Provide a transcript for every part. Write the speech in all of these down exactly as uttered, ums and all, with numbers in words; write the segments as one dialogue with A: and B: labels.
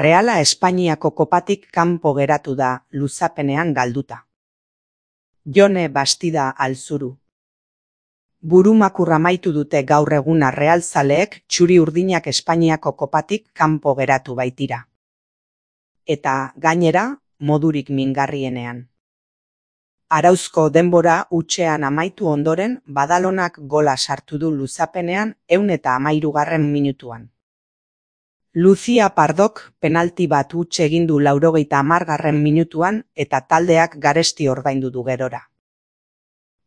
A: Reala Espainiako kopatik kanpo geratu da, luzapenean galduta. Jone Bastida Alzuru. Burumakur amaitu dute gaur eguna realzaleek txuri-urdinak Espainiako kopatik kanpo geratu baitira. Eta, gainera, modurik mingarrienean. Arauzko denbora hutsean amaitu ondoren Badalonak gola sartu du luzapenean ehun eta hamahirugarren minutuan. Lucia Pardok penalti bat huts egin du laurogeita hamargarren minutuan eta taldeak garesti ordaindu du gerora.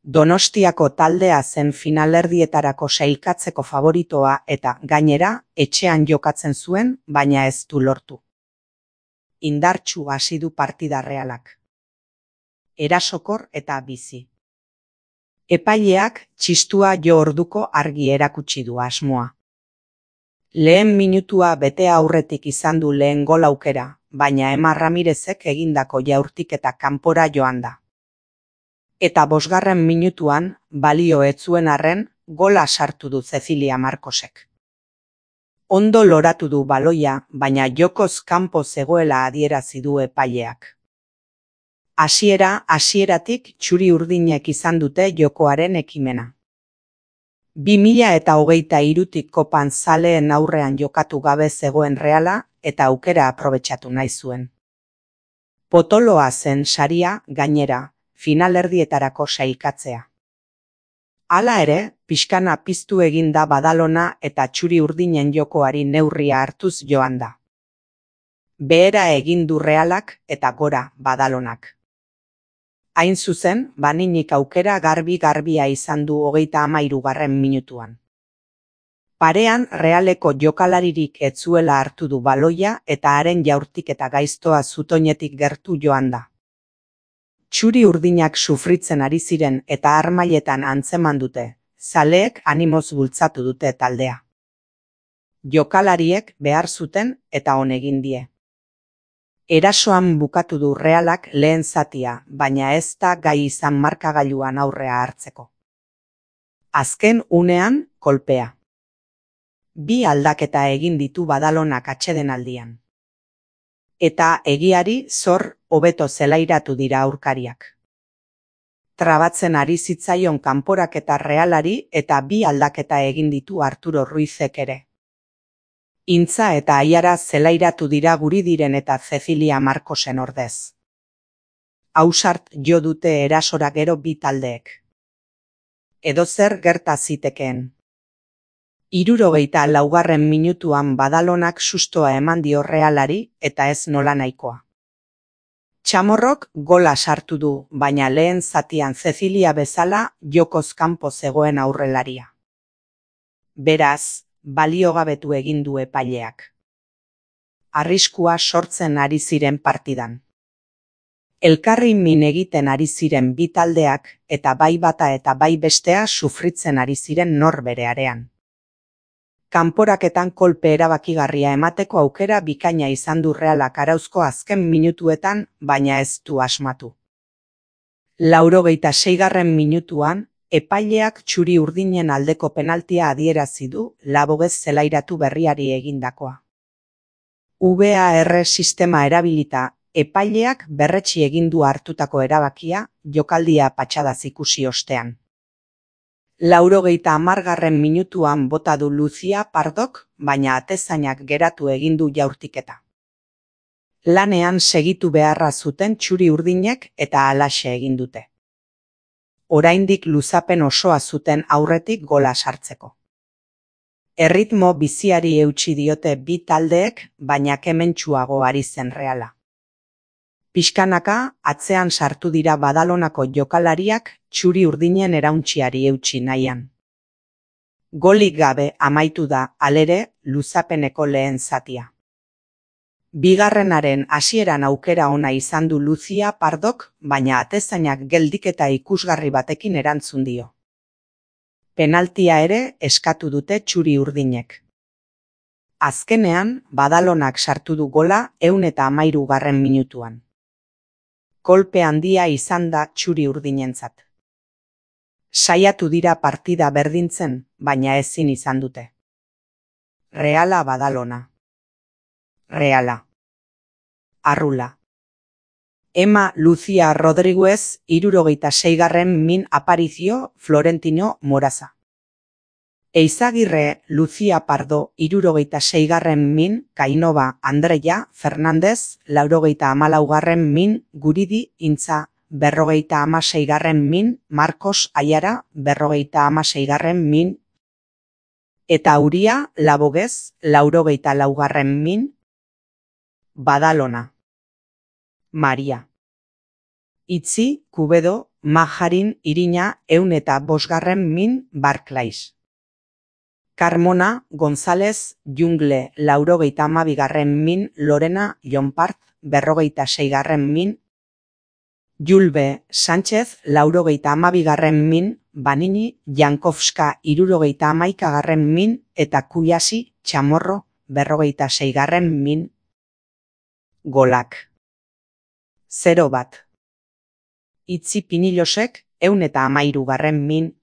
A: Donostiako taldea zen finalerdietarako sailkatzeko favoritoa eta, gainera, etxean jokatzen zuen, baina ez du lortu. Indartsu hasi du partida Realak. Erasokor eta bizi. Epaileak txistua jo orduko argi erakutsi du asmoa. Lehen minutua bete aurretik izan du lehen gol aukera, baina Ema Ramirezek egindako jaurtiketa kanpora joan da. Eta bosgarren minutuan, balio ez zuen arren, gola sartu du Cecilia Marcosek. Ondo loratu du baloia, baina jokoz kanpo zegoela adierazi du epaileak. Hasiera hasieratik txuri-urdinek izan dute jokoaren ekimena. bi mila eta hogeita hirutik kopan zaleen aurrean jokatu gabe zegoen Reala eta aukera aprobetxatu nahi zuen. Potoloa zen saria, gainera, finalerdietarako sailkatzea. Hala ere, pixkana piztu egin da Badalona eta txuri-urdinen jokoari neurria hartuz joan da. Behera egin du Realak eta gora Badalonak. Hain zuzen, baninik aukera garbi-garbia izan du hogeita hamahirugarren minutuan. Parean Realeko jokalaririk ez zuela hartu du baloia eta haren jaurtik eta gaiztoa zutoinetik gertu joan da. Txuri-urdinak sufritzen ari ziren eta harmailetan antzeman dute, zaleek animoz bultzatu dute taldea. Jokalariek behar zuten eta on egin die. Erasoan bukatu du Realak lehen zatia, baina ez da gai izan markagailuan aurrea hartzeko. Azken unean, kolpea. Bi aldaketa egin ditu Badalonak atsedenaldian. Eta egiari zor hobeto zelairatu dira aurkariak. Trabatzen ari zitzaion kanporaketa Realari eta bi aldaketa egin ditu Arturo Ruizek ere. Intza eta Aiara zelairatu dira guri diren eta Cecilia Marcosen ordez. Ausart jo dute erasora gero bi taldeek. Edozer gerta zitekeen. Hirurogeita laugarren minutuan Badalonak sustoa eman dio Realari eta ez nola nahikoa. Chamorrok gola sartu du, baina lehen zatian Cecilia bezala jokoz kanpo zegoen aurrelaria. Beraz, baliogabetu egin du epaileak. Arriskua sortzen ari ziren partidan. Elkarri min egiten ari ziren bi taldeak eta bai bata eta bai bestea sufritzen ari ziren norberearean. Kanporaketan kolpe erabakigarria emateko aukera bikaina izan du Realak arauzko azken minutuetan, baina ez du asmatu. Laurogeita seigarren minutuan, epaileak txuri-urdinen aldeko penaltia adierazi du labogez zelairatu berriari egindakoa. V A R sistema erabilita, epaileak berretsi egin du hartutako erabakia jokaldia patxadaz ikusi ostean. Laurogeita hamargarren minutuan bota du Lucia Pardok, baina atezainak geratu egin du jaurtiketa. Lanean segitu beharra zuten txuri-urdinek eta halaxe egin dute. Oraindik luzapen osoa zuten aurretik gola sartzeko. Erritmo biziari eutsi diote bi taldeek, baina kementsuago ari zen Reala. Pixkanaka, atzean sartu dira Badalonako jokalariak txuri-urdinen erauntziari eutsi nahian. Golik gabe amaitu da, halere, luzapeneko lehen zatia. Bigarrenaren hasieran aukera ona izan du Lucia Pardok, baina atezainak geldiketa ikusgarri batekin erantzun dio. Penaltia ere eskatu dute txuri-urdinek. Azkenean, Badalonak sartu du gola ehun eta hamahirugarren minutuan. Kolpe handia izan da txuri-urdinentzat. Saiatu dira partida berdintzen, baina ezin izan dute. Reala Badalona. Reala. Arrula. Emma Lucia Rodriguez, irurogeita seigarren min Aparizio Florentino Moraza. Eizagirre Lucia Pardo, irurogeita seigarren min Kainova Andreia Fernandez, laurogeita hamalaugarren min Guridi Intza, berrogeita hamaseigarren min Marcos Aiara, berrogeita hamaseigarren min eta Uria Labogez, laurogeita laugarren min Badalona. Maria. Itzi Kubedo Majarin Irina, ehun eta bosgarren min Barclays. Carmona González Jungle, laurogeita hamabigarren min Lorena Llompart, berrogeita seigarren min Julbe Sánchez, laurogeita hamabigarren min Banini Jankowska, hirurogeita hamaikagarren min eta Kuyasi Chamorro, berrogeita seigarren min Golak. Zero bat. Itzi Pinilosek, ehun eta hamairugarren min